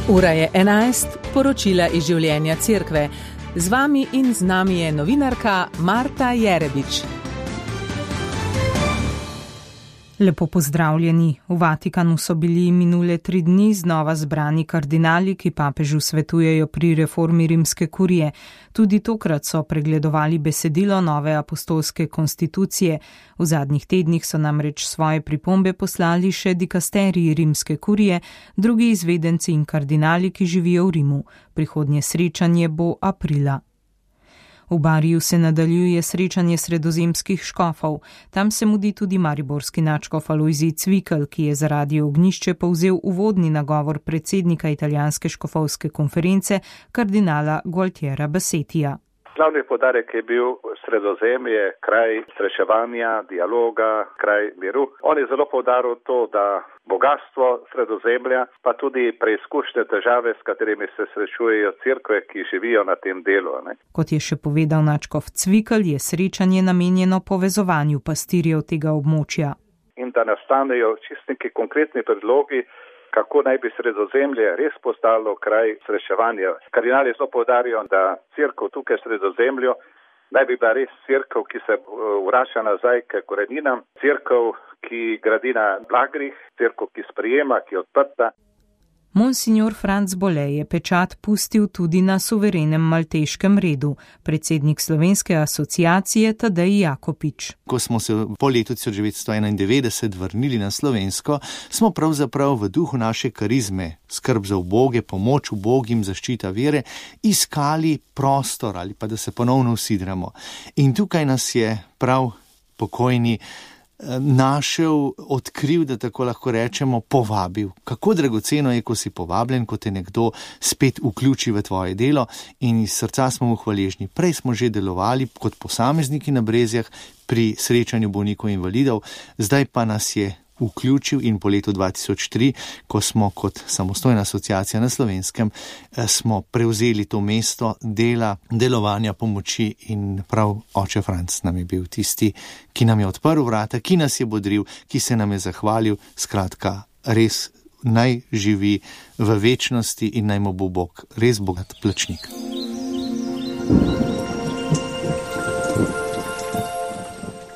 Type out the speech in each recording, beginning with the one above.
Ura je 11, poročila iz življenja cerkve. Z vami in z nami je novinarka Marta Jerebič. Lepo pozdravljeni. V Vatikanu so bili minule 3 dni znova zbrani kardinali, ki papežu svetujejo pri reformi rimske kurije. Tudi tokrat so pregledovali besedilo nove apostolske konstitucije. V zadnjih tednih so namreč svoje pripombe poslali še dikasteriji rimske kurije, drugi izvedenci in kardinali, ki živijo v Rimu. Prihodnje srečanje bo aprila. V Bariju se nadaljuje srečanje sredozemskih škofov. Tam se mudi tudi mariborski nadškof Alojzij Cvikl, ki je zaradi ognjišče povzel uvodni nagovor predsednika italijanske škofovske konference kardinala Gualtiera Bassettija. Glavni poudarek je bil Sredozemlje, kraj srečevanja, dialoga, kraj miru. On je zelo poudaril to, da bogatstvo Sredozemlja, pa tudi preizkušnje težave, s katerimi se srečujejo cerkve, ki živijo na tem delu. Kot je še povedal nadškof Cvikl, je srečanje namenjeno povezovanju pastirjev tega območja. In da nastanejo čisto neki konkretni predlogi, kako naj bi Sredozemlje res postalo kraj srečevanja. Kardinali zelo poudarjajo, da cerkev tukaj v Sredozemlju naj bi bila res cerkev, ki se vrača nazaj k koreninam, cerkev, ki gradi na blagrih, cerkev, ki sprejema, ki je odprta. Monsignor Franc Bole je pečat pustil tudi na suverenem malteškem redu. Predsednik Slovenske asociacije Tadej Jakopič. Ko smo se po letu 1991 vrnili na Slovensko, smo pravzaprav v duhu naše karizme, skrb za uboge, pomoč ubogim, zaščita vere, iskali prostor ali pa da se ponovno usidramo. In tukaj nas je prav pokojni našel, odkril, da tako lahko rečemo, povabil. Kako dragoceno je, ko si povabljen, ko te nekdo spet vključi v tvoje delo, in iz srca smo mu hvaležni. Prej smo že delovali kot posamezniki na Brezjah pri srečanju bolnikov invalidov, zdaj pa nas je vključil in po letu 2003, ko smo kot samostojna asociacija na Slovenskem, smo prevzeli to mesto delovanja pomoči in prav oče Franc nam je bil tisti, ki nam je odprl vrata, ki nas je bodril, ki se nam je zahvalil, skratka, res naj živi v večnosti in naj mu bo Bog res bogat plačnik.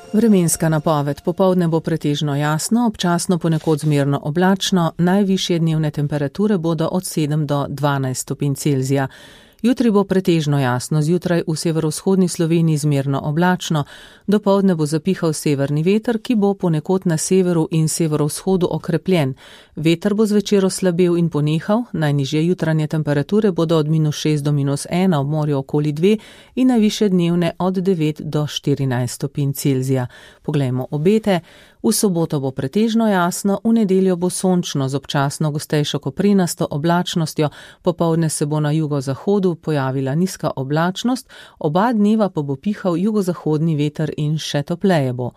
Vremenska napoved. Popoldne bo pretežno jasno, občasno ponekod zmerno oblačno, najvišje dnevne temperature bodo od 7 do 12 stopinj Celzija. Jutri bo pretežno jasno, zjutraj v severovzhodni Sloveniji zmerno oblačno, dopoldne bo zapihal severni veter, ki bo ponekod na severu in severovzhodu okrepljen. Veter bo zvečer oslabel in ponehal, najnižje jutranje temperature bodo od -6 do -1, ob morju okoli 2 in najvišje dnevne od 9 do 14 stopinj Celzija. Poglejmo obete. V soboto bo pretežno jasno, v nedeljo bo sončno z občasno gostejšo koprenasto oblačnostjo, popoldne se bo na jugozahodu pojavila nizka oblačnost, oba dneva pa bo pihal jugozahodni veter in še topleje bo.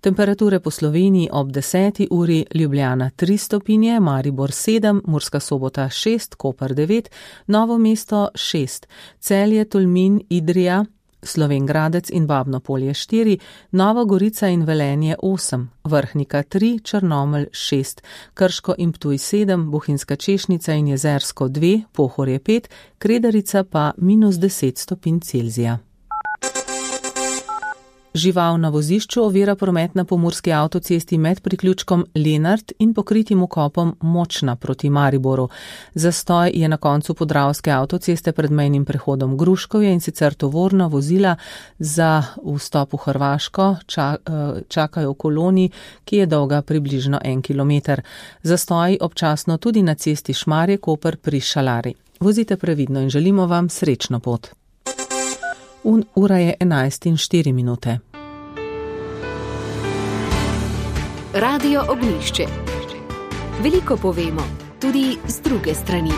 Temperature po Sloveniji ob 10. uri: Ljubljana 3 stopinje, Maribor 7, Murska Sobota 6, Koper 9, Novo mesto 6, Celje, Tolmin, Idrija, Slovenj Gradec in Babno Polje 4, Nova Gorica in Velenje 8, Vrhnika 3, Črnomelj 6, Krško in Ptuj 7, Bohinjska Češnica in Jezersko 2, Pohorje 5, Kredarica pa -10 stopinj Celzija. Žival na vozišču ovira promet na pomurski avtocesti med priključkom Lenart in pokritim vkopom Močna proti Mariboru. Zastoj je na koncu podravske avtoceste pred mejnim prehodom Gruškovje, in sicer tovorna vozila za vstop v Hrvaško čakajo v koloni, ki je dolga približno 1 kilometer. Zastoj občasno tudi na cesti Šmarje-Koper pri Šalari. Vozite previdno in želimo vam srečno pot. Ura je 11:04. Radio Ognjišče. Veliko povemo, tudi z druge strani.